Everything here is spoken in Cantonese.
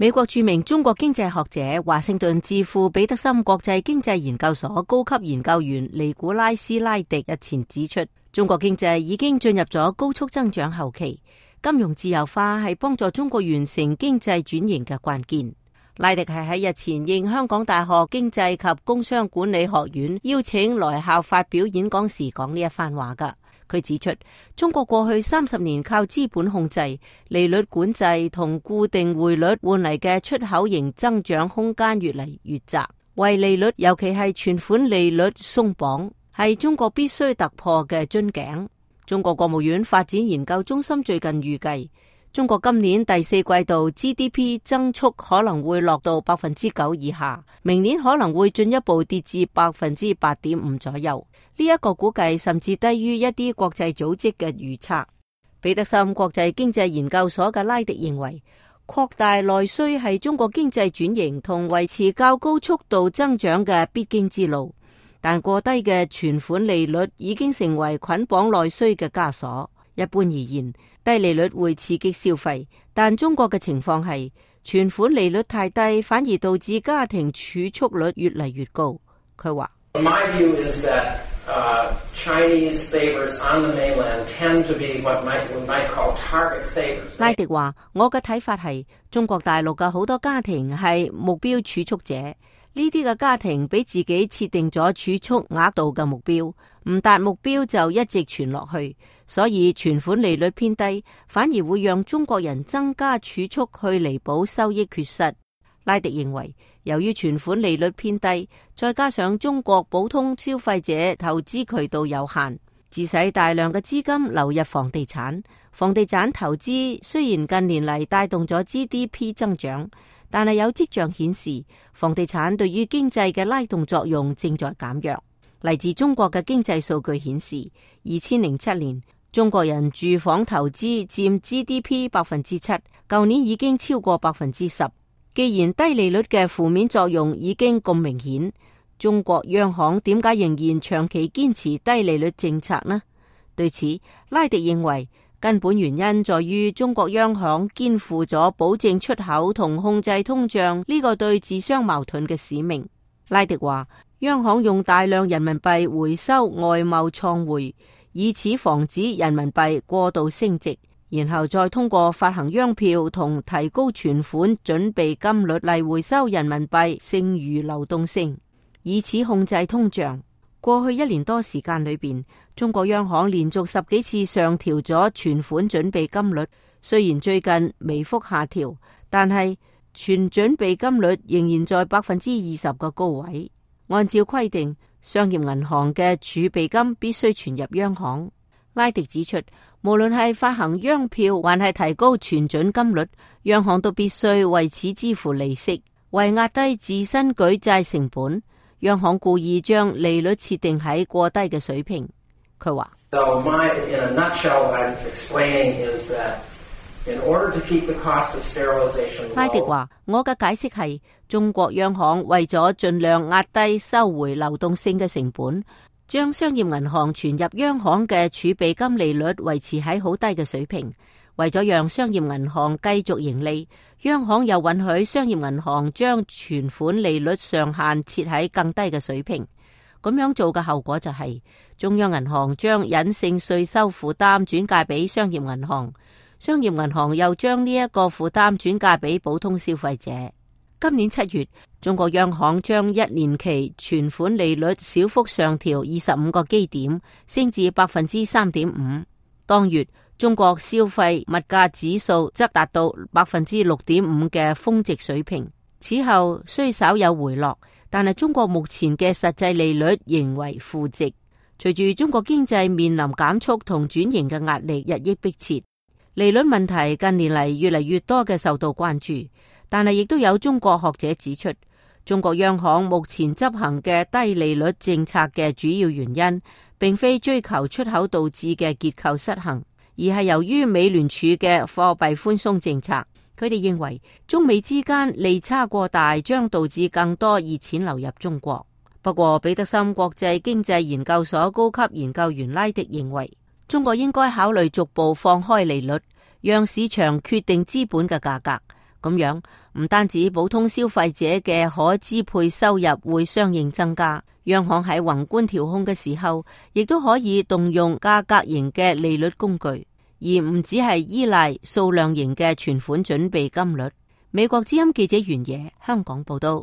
美國著名中國經濟學者華盛頓智庫彼得森國際經濟研究所高級研究員尼古拉斯拉迪日前指出，中國經濟已經進入咗高速增長後期，金融自由化係幫助中國完成經濟轉型嘅關鍵。拉迪係喺日前應香港大學經濟及工商管理學院邀請來校發表演講時講呢一番話㗎。佢指出，中國過去30年靠資本控制、利率管制同固定匯率換嚟嘅出口型增長空間越嚟越窄，為利率尤其係存款利率鬆綁，係中國必須突破嘅樽頸。中國國務院發展研究中心最近預計，中國今年第四季度 GDP 增速可能會落到9%以下，明年可能會進一步跌至8.5%左右。呢一個估計甚至低於一啲國際組織嘅預測。彼得森國際經濟研究所嘅拉迪認為，擴大內需係中國經濟轉型同維持較高速度增長嘅必經之路，但過低嘅存款利率已經成為捆綁內需嘅枷鎖。一般而言，低利率會刺激消費，但中國嘅情況係存款利率太低，反而導致家庭儲蓄率越嚟越高。佢話Chinese savers on the mainland tend to be what we might call target savers. 拉迪話：我嘅睇法係，中國大陸嘅好多家庭係目標儲蓄者，呢啲嘅家庭俾自己設定咗儲蓄額度嘅目標，唔達目標就一直存落去，所以存款利率偏低，反而會讓中國人增加儲蓄去彌補收益缺失。拉迪認為，由於存款利率偏低，再加上中國普通消費者投資渠道有限，致使大量嘅資金流入房地產。房地產投資雖然近年嚟帶動咗 GDP 增長，但係有跡象顯示，房地產對於經濟嘅拉動作用正在減弱。嚟自中國嘅經濟數據顯示，2007年中國人住房投資佔 GDP 7%，舊年已經超過10%。既然低利率嘅負面作用已經咁明顯，中國央行點解仍然長期堅持低利率政策呢？對此，拉迪認為根本原因在於中國央行肩負咗保證出口同控制通脹呢個對自相矛盾嘅使命。拉迪話，央行用大量人民幣回收外貿創匯，以此防止人民幣過度升值，然後再通過發行央票同提高存款準備金率嚟回收人民幣剩餘流動性，以此控制通脹。過去1年多時間裏邊，中國央行連續10幾次上調咗存款準備金率，雖然最近微幅下調，但係存準備金率仍然在20%嘅高位。按照規定，商業銀行嘅儲備金必須存入央行。拉迪指出，無論係發行央票還係提高存準金率，央行都必須為此支付利息，為壓低自身舉債成本，央行故意將利率設定喺過低嘅水平。佢話：So in a nutshell, what I'm explaining is that in order to keep the cost of sterilization low， 拉迪話：我嘅解釋係，中國央行為咗盡量壓低收回流動性嘅成本，將商業銀行存入央行嘅儲備金利率維持喺好低嘅水平，為咗讓商業銀行繼續盈利，央行又允許商業銀行將存款利率上限設喺更低嘅水平。咁樣做嘅後果就係，中央銀行將隱性稅收負擔轉嫁俾商業銀行，商業銀行又將呢一個負擔轉嫁俾普通消費者。今年7月，中國央行將1年期存款利率小幅上調25個基點，升至3.5%。當月，中國消費物價指數則達到6.5%嘅峰值水平。此後雖稍有回落，但係中國目前嘅實際利率仍為負值。隨住中國經濟面臨減速同轉型嘅壓力日益迫切，利率問題近年嚟越嚟越多嘅受到關注。但係亦都有中國學者指出，中國央行目前執行嘅低利率政策嘅主要原因，並非追求出口導致嘅結構失衡，而係由於美聯儲嘅貨幣寬鬆政策。佢哋認為中美之間利差過大，將導致更多熱錢流入中國。不過，彼得森國際經濟研究所高級研究員拉迪認為，中國應該考慮逐步放開利率，讓市場決定資本嘅價格。咁樣唔單止普通消費者嘅可支配收入會相應增加，央行喺宏觀調控嘅時候，亦都可以動用價格型嘅利率工具，而唔只係依賴數量型嘅存款準備金率。美國之音記者袁野香港報道。